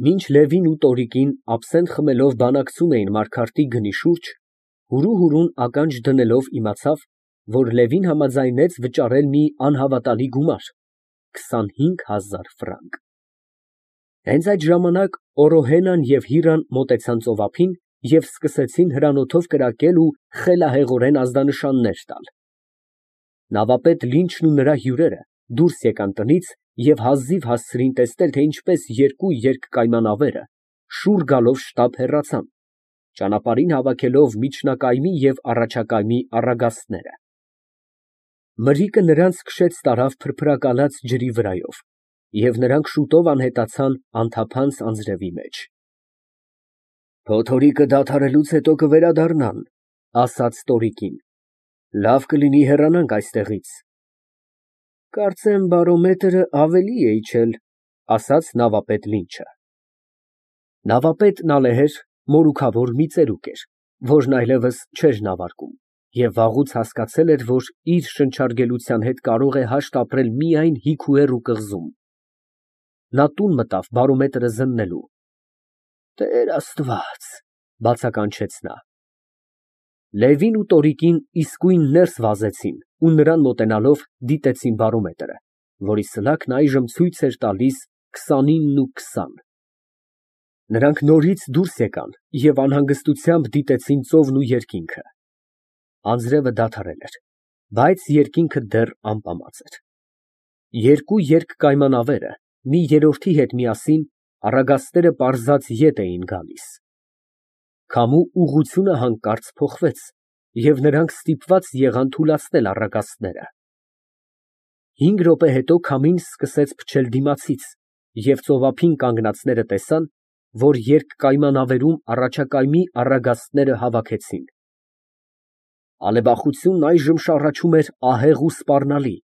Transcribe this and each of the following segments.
Մինչ Լևին ու Տորիկին աբսենտ խմելով բանակցում էին Մարգարտի գնի շուրջ, հուրու ականջ դնելով իմացավ, որ Լևին համաձայնեց վճարել մի անհավատալի գումար, 25000 ֆրանկ։ Հենց այդ ժամանակ Օրոհենան և Հիրան մոտեցան ծովափին և սկսեցին հրանոթով կրակել ու խելահեղորեն ազդանշաններ տալ։ Նավապետ Լինչն ու նրա հյուրերը դուրս եկան տնից և հազիվ հասցրին տեսնել, թե ինչպես երկու երկկայմանավերը շուռ գալով շտապ հեռացան, ճանապարհին հավաքելով միջնակայմի և առաջակայմի առագաստները։ Մրրիկը նրանց քշեց տարավ փրփրակալած ջրի վրայով, և նրանք շուտով անհետացան անթափանց անձրևի մեջ։ Փոթորիկը դադարելուց հետո կվերադառնան, ասաց Տորիկին, լավ կլինի հեռանանք այստեղից։ Կարծեմ բարոմետրը ավելի է իջել, ասաց նավապետ Լինչը։ Նավապետն ալեհեր մորուքավոր մի ծերուկ էր, որն այլևս չէր նավարկում և վաղուց հասկացել էր, որ իր շնչարգելության հետ կարող է հաշտ ապրել միայն հիգու կղզում։ Նա տուն մտավ բարոմետրը զննելու։ Տեր Աստված, բացականչեց նա։ Լևին ու Տորիկին իսկույն ներս վազեցին ու նրան մոտենալով դիտեցին բարոմետրը, որի սլաքն այժմ ցույց էր տալիս 29:20։ Նրանք նորից դուրս եկան և անհանգստությամբ դիտեցին ծովն ու երկինքը։ Անձրևը դադարել էր, բայց երկինքը դեռ ամպամած էր։ Երկու երկկայմանավերը մի երրորդի հետ միասին առագաստերը պարզած ետ էին գալիս։ Քամու ուղղությունը հանկարծ փոխվեց, և նրանք ստիպված եղան թուլացնել առագաստները։ 5 րոպե հետո քամին սկսեց փչել դիմացից, և ծովափին կանգնածները տեսան, որ երկկայմանավերում առաջակայմի առագաստները հավաքեցին։ Ալեբախությունն այժմ շառաչում էր ահեղ ու սպառնալի,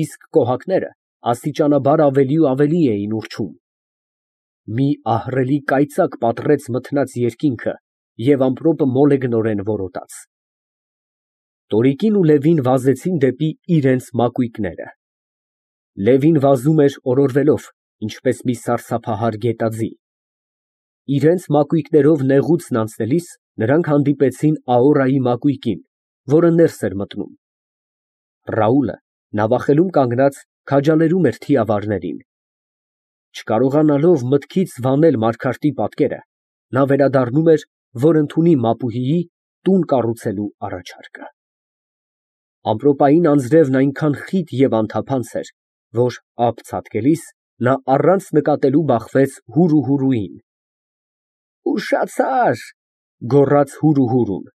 իսկ կոհակները աստիճանաբար ավելի ու ավելի էին ուռչում։ Մի ահռելի կայծակ պատռեց մթնած երկինքը և ամպրոպը մոլեգնորեն որոտաց։ Տորիկին ու Լևին վազեցին դեպի իրենց մակույկները։ Լևին վազում էր օրորվելով, ինչպես մի սարսափահար գետաձի։ Իրենց մակույկներով նեղուցն անցնելիս նրանք հանդիպեցին Աորայի մակույկին, որը ներս էր մտնում։ Ռաուլը նավախելում կանգնած քաջալերում էր թիավարներին։ Չկարողանալով մտքից վանել Մարգարտի պատկերը, նա վերադառնում էր, որ ընդունի մապուհիի տուն կառուցելու առաջարկը։ Ամպրոպային անձրևն այնքան խիտ և անթափանց էր, որ ափ ցատկելիս նա առանց նկատելու բախվեց հուրին։ Ուշացա՜ր, գոռաց հուրուն։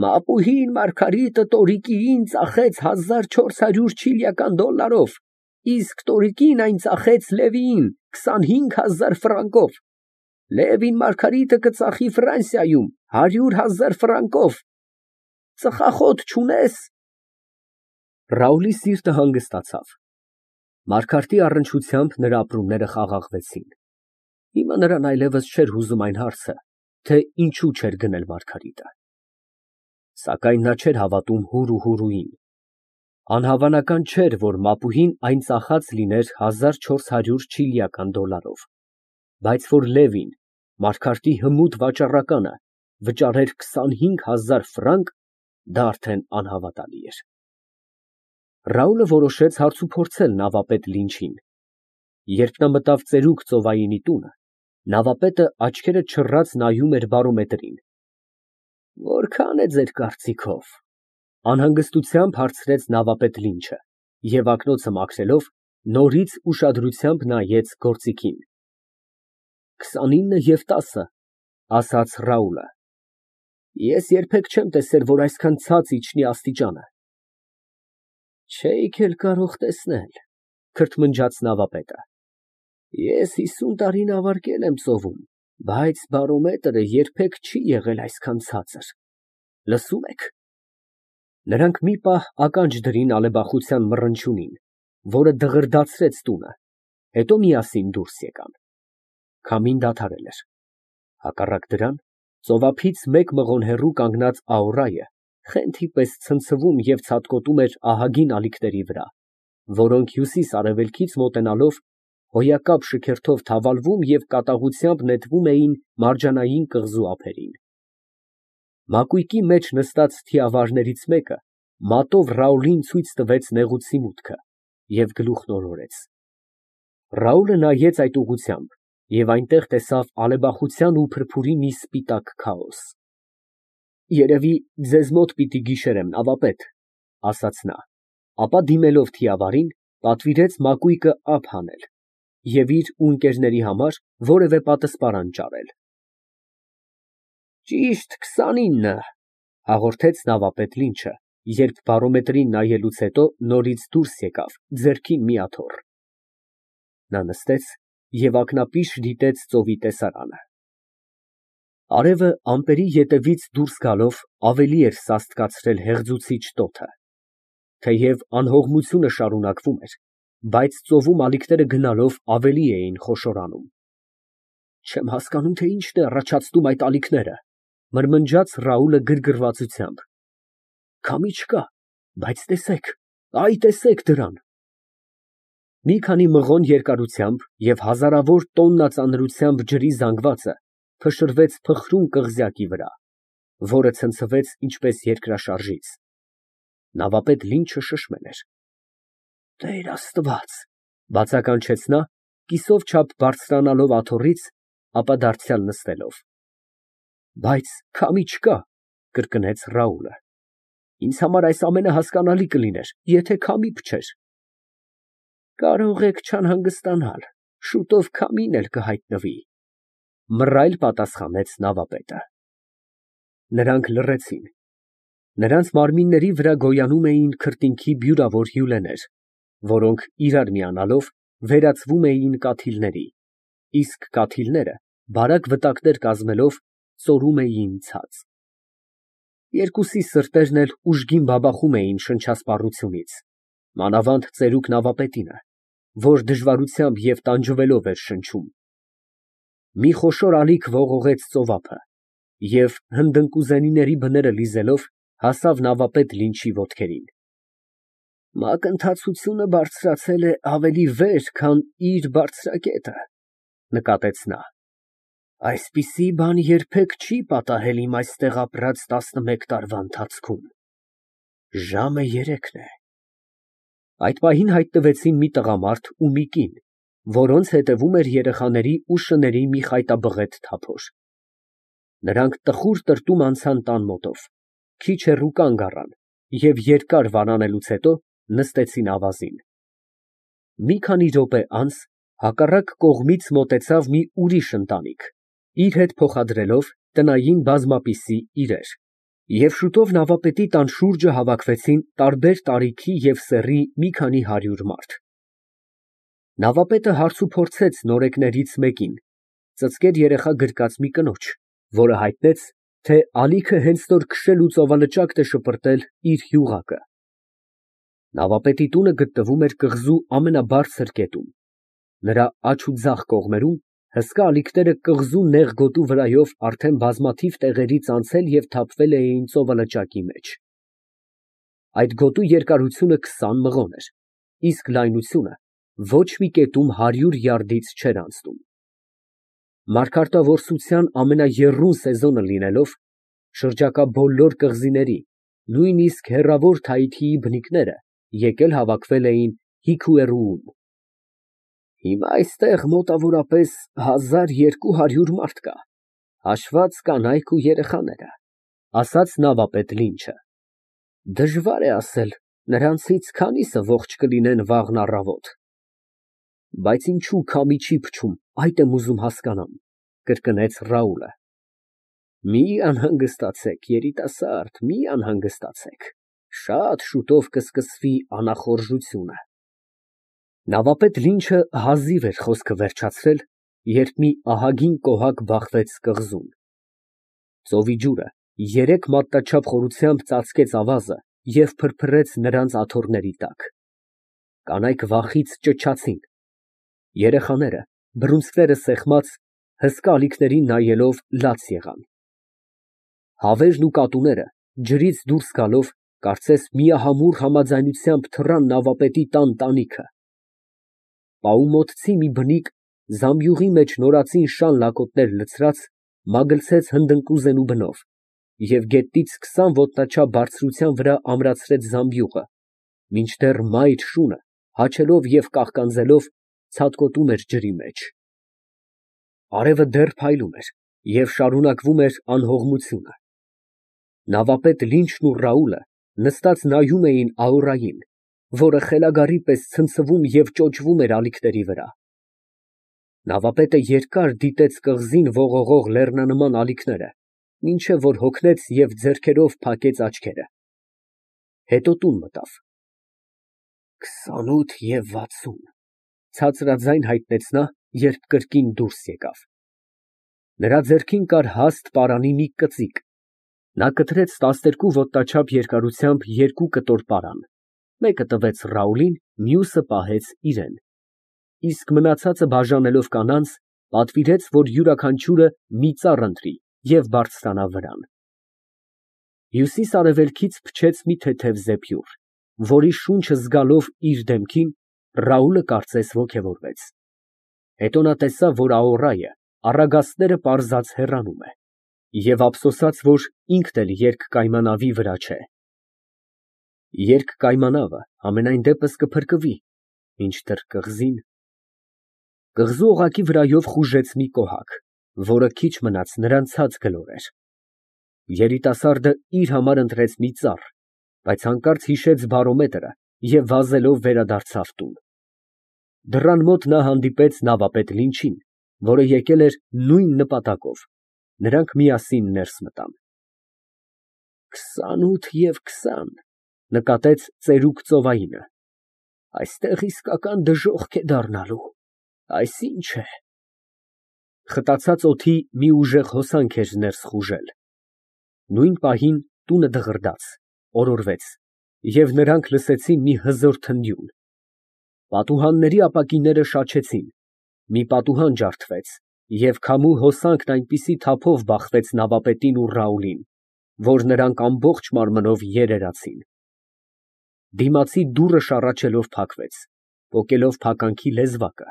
Մապուհին Մարգարիտը Տորիկիին ծախեց 1400 չիլիական դոլարով, իսկ Տորիկին այն ծախեց Լևիին 25000 ֆրանկով։ Լևին Մարգարիտը կծախի Ֆրանսիայում 100,000 ֆրանկով։ Ծխախոտ չունե՞ս։ Ռաուլի սիրտը հանգստացավ։ Մարգարտի առնչությամբ նրա ապրումները խաղաղվեցին։ Հիմա նրան այլևս չէր հուզում այն հարցը, թե ինչու չէր գնել Մարգարիտը։ Սակայն նա չէր հավատում հուրուին։ Անհավանական չէր, որ մապուհին այն ծախած լիներ 1400 չիլիական դոլարով, բայց որ Լևին, Մարգարտի հմուտ վաճառականը, վճարեր 25000 ֆրանկ, դա արդեն անհավատալի էր։ Ռաուլը որոշեց հարցուփորձել նավապետ Լինչին։ Երբ նա մտավ ծերուկ ծովայինի տունը, նավապետը աչքերը չռած նայում էր բարոմետրին։ Որքա՞ն է ձեր կարծիքով, անհանգստությամբ հարցրեց նավապետ Լինչը և ակնոցը մաքրելով, նորից ուշադրությամբ նայեց գործիքին։ 29 և 10, ասաց Ռաուլը։ Ես երբեք չեմ տեսել, որ այսքան ցած իջնի աստիճանը։ Չէիք էլ կարող տեսնել, քրթմնջաց նավապետը։ Ես 50 տարի նավարկել եմ ծովում, բայց բարոմետրը երբեք չի եղել այսքան ցածր։ Լսո՞ւմ եք։ Նրանք մի պահ ականջ դրին ալեբախության մռնչյունին, որը դղրդացրեց տունը, հետո միասին դուրս եկան։ Քամին դադարել էր։ Հակառակ դրան, ծովափից մեկ մղոն հեռու կանգնած Աորայը խենթի պես ցնցվում և ցատկոտում էր ահագին ալիքների վրա, որոնք հյուսիս֊արևելքից մոտենալով հոյակապ շքերթով թավալվում և կատաղությամբ նետվում էին մարջանային կղզու ափերին։ Մակույկի մեջ նստած թիավարներից մեկը մատով Ռաուլին ցույց տվեց նեղուցի մուտքը և գլուխն օրորեց։ Ռաուլը նայեց այդ ուղղությամբ և այնտեղ տեսավ ալեբախության ու փրփուրի մի սպիտակ քաոս։ «Երևի ձեզ մոտ պիտի գիշերեմ, նավապետ, ֊ ասաց նա, ապա դիմելով թիավարին, պատվիրեց մակույկը ափ հանել և իր ու ընկերների համար որևէ պատսպարան ճարել։ «Ճիշտ 29, ֊ հաղորդեց նավապետ Լինչը, երբ բարոմետրին նայելուց հետո նորից դուրս եկավ, ձեռքին մի աթոռ։ Նա նստեց և ակնապիշ դիտեց ծովի տեսարանը։ Արևը ամպերի ետևից դուրս գալով ավելի էր սաստկացրել հեղձուցիչ տոթը։ Թեև անհողմությունը շարունակվում էր, բայց ծովում ալիքները գնալով ավելի էին խոշորանում։ «Չեմ հասկանում, թե ինչն է առաջացնում այդ ալիքները, ֊ մրմնջաց Ռաուլը գրգռվածությամբ։ Քամի չկա, բայց տեսեք, այ տեսեք դրան»։ Մի քանի մղոն երկարությամբ և հազարավոր տոննա ծանրությամբ ջրի զանգվածը փշրվեց փխրուն կղզյակի վրա, որը ցնցվեց ինչպես երկրաշարժից։ Նավապետ Լինչը շշմել էր։ «Տեր Աստված, ֊ բացականչեց նա, կիսով չափ բարձրանալով աթոռից, ապա դարձյալ նստելով։ ֊ Բայց քամի չկա, ֊ կրկնեց Ռաուլը։ Ինձ համար այս ամենը հասկանալի կլիներ, եթե քամի փչեր։ Կարող եք չանհանգստանալ, շուտով քամին էլ կհայտնվի, ֊ մռայլ պատասխանեց նավապետը։ Նրանք լռեցին։ Նրանց մարմինների վրա գոյանում էին քրտինքի բյուրավոր հյուրեներ, որոնք իրար միանալով վերածվում էին կաթիլների, իսկ կաթիլները, բարակ վտակներ կազմելով, ծորում էին ցած։ Երկուսի սրտերն էլ ուժգին բաբախում էին շնչասպառությունից, մանավանդ ծերուկ նավապետինը, որ դժվարությամբ և տանջվելով էր շնչում։ Մի խոշոր ալիք ողողեց ծովափը և, հնդընկուզենիների բները լիզելով, հասավ նավապետ Լինչի ոտքերին։ Մակընթացությունը բարձրացել է ավելի վեր, քան իր բարձրակետը, ֊ նկատեց նա։ Այսպիսի բան երբեք չի պատահել իմ այստեղ ապրած 11 տարվա ընթացքում։ Ժամը 3-ն է։ Այդ պահին հայտնվեցին մի տղամարդ ու մի կին, որոնց հետևում էր երեխաների ու շների մի խայտաբղետ թափոր։ Նրանք տխուր տրտում անցան տան մոտով, քիչ հեռու կանգ առան և երկար վարանելուց հետո նստեցին ավազին։ Մի քանի րոպե անց հակառակ կողմից մոտեցավ մի ուրիշ ընտանիք, իր հետ փոխադրելով տնային բազմապիսի իրեր, և շուտով նավապետի տան շուրջը հավաքվեցին տարբեր տարիքի և սեռի մի քանի 100 մարդ։ Նավապետը հարցուփորձեց նորեկներից մեկին, ծծկեր երեխա գրկած մի կնոջ, որը հայտնեց, թե ալիքը հենց նոր քշել ու ծովալճակտ է շպրտել իր յուղակը։ Նավապետի տունը գտնվում էր կղզու ամենաբարձր կետում։ Նրա աջ ու ձախ կողմերում հսկա ալիքները կղզու նեղ գոտու վրայով արդեն բազմաթիվ տեղերից անցել և թափվել էին ծովալճակի մեջ։ Այդ գոտու երկարությունը 20 մղոն էր, իսկ լայնությունը ոչ մի կետում 100 յարդից չէր անցնում։ Մարգարտավորսության ամենաեռուն սեզոնը լինելով, շրջակա բոլոր կղզիների, նույնիսկ հեռավոր Թայիթիի բնիկները եկել հավաքվել էին Հիքուերուում։ Հիմա այստեղ մոտավորապես 1200 մարդ կա, հաշված կանայք ու երեխաները, ֊ ասաց նավապետ Լինչը։ Դժվար է ասել նրանցից քանիսը ողջ կլինեն վաղն առավոտ։ Բայց ինչու քամի չի փչում, այդ եմ ուզում հասկանամ, ֊ կրկնեց Ռաուլը։ Մի անհանգստացեք, երիտասարդ, մի անհանգստացեք, շատ շուտով կսկսվի անախորժությունը։ Նավապետ Լինչը հազիվ էր խոսքը վերջացրել, երբ մի ահագին կոհակ բախվեց կղզում։ Ծովի ջուրը 3 մատնաչափ խորությամբ ծածկեց ավազը և փրփրեց նրանց աթոռների տակ։ Կանայք վախից ճչացին։ Երեխաները, բռունցքները սեղմած, հսկա ալիքներին նայելով լաց եղան։ Հավերն ու կատուները, ջրից դուրս գալով, կարծես միահամուռ համաձայնությամբ թռան նավապետի տան տանիքը։ պաումոտցի մի բնիկ, զամբյուղի մեջ նորածին շան լակոտներ լցրած, մագլցեց հնդընկուզենու բնով և գետնից 20 ոտնաչափ բարձրության վրա ամրացրեց զամբյուղը, մինչդեռ մայր շունը, հաչելով և կաղկանձելով, ցատկոտում էր ջրի մեջ։ Արևը դեռ փայլում էր և շարունակվում էր անհողմությունը։ Նավապետ Լինչն ու Ռաուլը նստած նայում էին Ահուրային, որը խելագարի պես ցնցվում և ճոճվում էր ալիքների վրա։ Նավապետը երկար դիտեց կղզին ողողող լեռնանման ալիքները, մինչև որ հոգնեց և ձեռքերով փակեց աչքերը։ Հետո տուն մտավ։ 28 և 60, ցածրաձայն հայտնեց նա, երբ կրկին դուրս եկավ։ Նրա ձեռքին կար հաստ պարանի մի կծիկ։ Նա կտրեց 12 ոտնաչափ երկարությամբ երկու կտոր պարան, մեկը տվեց Ռաուլին, մյուսը պահեց իրան, իսկ մնացածը բաժանելով կանանց, պատվիրեց, որ յուրաքանչյուրը մի ծառ ընտրի և բարձրանա վրան։ Հյուսիս֊արևելքից փչեց մի թեթև զեփյուռ, որի շունչը զգալով իր դեմքին, Ռաուլը կարծես ոգևորվեց։ Հետո նա տեսավ, որ Ահուրայը առագաստները պարզած հեռանում է, և ափսոսաց, որ ինքն էլ երկկայմանավի վրա չէ։ Երկկայմանավը համենայն դեպս կփրկվի, մինչդեռ կղզին… Կղզու օղակի վրայով խուժեց մի կոհակ, որը քիչ մնաց նրան ցած գլորեր։ Երիտասարդը իր համար ընտրեց մի ծառ, բայց հանկարծ հիշեց բարոմետրը և վազելով վերադարձավ տուն։ Դռան մոտ նա հանդիպեց նավապետ Լինչին, որը եկել էր նույն նպատակով, նրանք միասին ներս մտան։ 28 և 20, նկատեց ծերուկ ծովայինը, այստեղ իսկական դժոխք է դառնալու, այս ի՞նչ է։ Խտացած օդի մի ուժեղ հոսանք էր ներս խուժել։ Նույն պահին տունը դղրդաց, օրորվեց, և նրանք լսեցին մի հզոր թնդյուն։ Պատուհանների ապակիները շաչեցին, մի պատուհան ջարդվեց, և քամու հոսանքն այնպիսի թափով բախվեց նավապետին ու Ռաուլին, որ նրանք ամբողջ մարմնով երերացին։ Դիմացի դուռը շառաչելով փակվեց, պոկելով փականքի լեզվակը։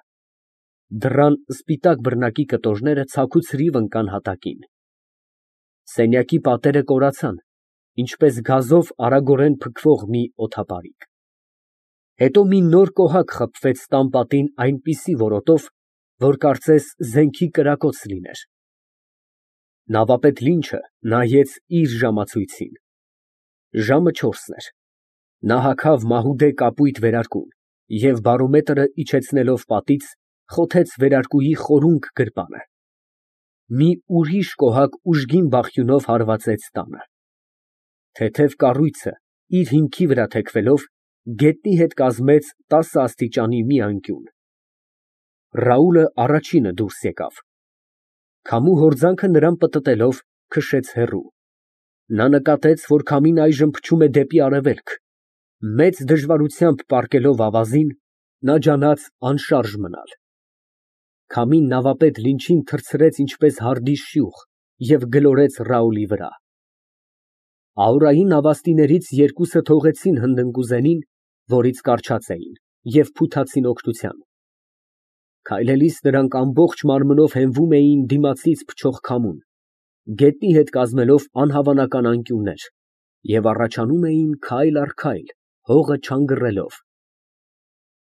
Դռան սպիտակ բռնակի կտորները ցաքուցրիվ ընկան հատակին։ Սենյակի պատերը կորացան, ինչպես գազով արագորեն փքվող մի օդապարիկ։ Հետո մի նոր կոհակ խփվեց տան պատին այնպիսի որոտով, որ կարծես զենքի կրակոց լիներ։ Նավապետ Լինչը նայեց իր ժամացույցին։ Ժամը 4-ն էր։ Նա հագավ մահուդե կապույտ վերարկուն և բարոմետրը իջեցնելով պատից, խոթեց վերարկուի խորունկ գրպանը։ Մի ուրիշ կոհակ ուժգին բախյունով հարվածեց տանը։ Թեթև կառույցը, իր հիմքի վրա թեքվելով, գետնի հետ կազմեց 10 աստիճանի մի անկյուն։ Ռաուլը առաջինը դուրս եկավ։ Քամու հորձանքը նրան պտտելով, քշեց հեռու։ Նա նկատեց, որ քամին այժմ փչում է դեպի արևելք։ Մեծ դժվարությամբ պառկելով ավազին, նա ջանաց անշարժ մնալ։ Քամին նավապետ Լինչին թռցրեց ինչպես հարդի շյուղ և գլորեց Ռաուլի վրա։ Ահուրայի նավաստիներից երկուսը թողեցին հնդընկուզենին, որից կառչած էին, և փութացին օգնության։ Քայլելիս նրանք ամբողջ մարմնով հենվում էին դիմացից փչող քամուն, գետնի հետ կազմելով անհավանական անկյուններ, և առաջանում էին քայլ առ քայլ, հողը չանգռելով։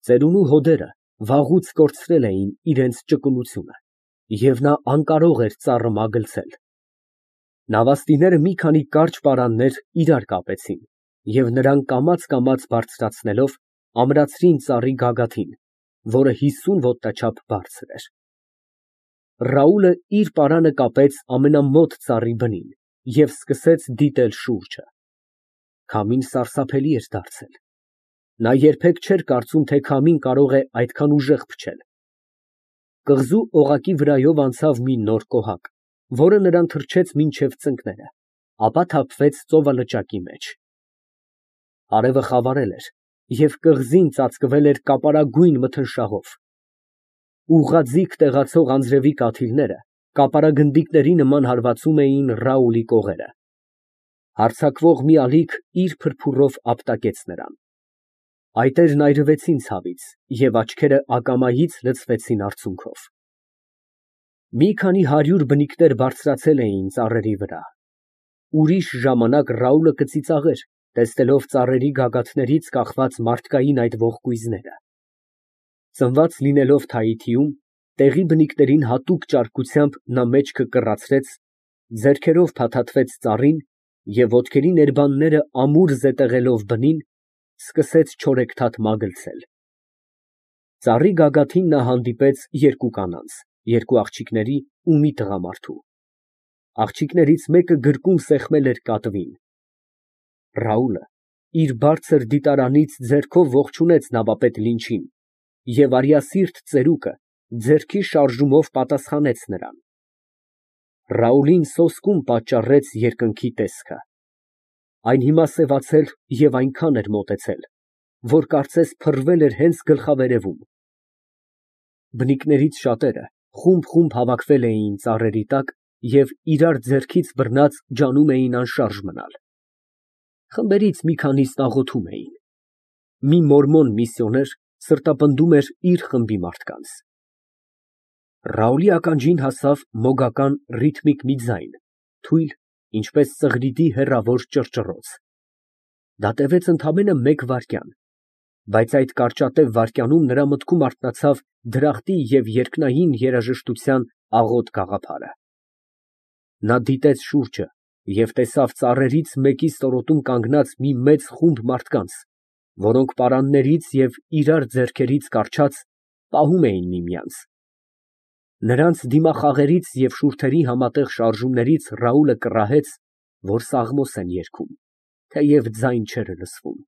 Ծերունու հոդերը վաղուց կորցրել էին իրենց ճկունությունը, և նա անկարող էր ծառը մագլցել։ Նավաստիները մի քանի կարճ պարաններ իրար կապեցին, և նրանք կամաց բարձրացնելով, ամրացրին ծառի գագաթին, որը 50 ոտնաչափ բարձր էր։ Ռաուլը իր պարանը կապեց ամենամոտ ծառի բնին և սկսեց դիտել շուրջը։ Քամին սարսափելի էր դարձել։ Նա երբեք չէր կարծում, թե քամին կարող է այդքան ուժեղ փչել։ Կղզու օղակի վրայով անցավ մի նոր կոհակ, որը նրան թռչեց մինչև ծնկները, ապա թափվեց ծովալճակի մեջ։ Արևը խավարել էր, և կղզին ծածկվել էր կապարագույն մթնշաղով։ Ուղղաձիգ տեղացող անձրևի կաթիլները կապարագնդիկների նման հարվածում էին Ռաուլի կողերը։ Հարձակվող մի ալիք իր փրփուրով ապտակեց նրան։ Այտերն այրվեցին ցավից և աչքերը ակամայից լցվեցին արցունքով։ Մի քանի 100 բնիկներ բարձրացել էին ծառերի վրա։ Ուրիշ ժամանակ Ռաուլը կծիծաղեր, տեսնելով ծառերի գագաթներից կախված մարդկային այդ ողկույզները։ Ծնված լինելով Թայիթիում, տեղի բնիկներին հատուկ ճարպկությամբ նա մեջքը կռացրեց, ձեռքերով փաթաթվեց ծառին և ոտքերի ներբանները ամուր զետեղելով բնին, սկսեց չորեքթաթ մագլցել։ Ծառի գագաթին նա հանդիպեց երկու կանանց, երկու աղջիկների ու մի տղամարդու։ Աղջիկներից մեկը գրկում սեղմել էր կատվին։ Ռաուլը իր բարձր դիտարանից ձեռքով ողջունեց նավապետ Լինչին և արյասիրտ ծերուկը ձեռքի շարժումով պատասխանեց նրան։ Ռաուլին սոսկում պատճառեց երկնքի տեսքը։ Այն հիմա սևացել և այնքան էր մոտեցել, որ կարծես փռվել էր հենց գլխավերևում։ Բնիկներից շատերը խումբ հավաքվել էին ծառերի տակ և իրար ձեռքից բռնած ջանում էին անշարժ մնալ։ Խմբերից մի քանիսն աղոթում էին։ Մի մորմոն միսիոներ սրտապնդում էր իր խմբի մարդկանց։ Ռաուլի ականջին հասավ մոգական ռիթմիկ մի ձայն, թույլ, ինչպես ծղրիդի հեռավոր ճռճռոց։ Դա տևեց ընդամենը մեկ վայրկյան, բայց այդ կարճատև վայրկյանում նրա մտքում արթնացավ դրախտի և երկնային երաժշտության աղոտ գաղափարը։ Նա դիտեց շուրջը և տեսավ ծառերից մեկի ստորոտում կանգնած մի մեծ խումբ մարդկանց, որոնք պարաններից և իրար ձեռքերից կառչած, պահում էին միմյանց։ Նրանց դիմախաղերից և շուրթերի համատեղ շարժումներից Ռաուլը կռահեց, որ սաղմոս են երգում, թեև ձայն չէր լսվում։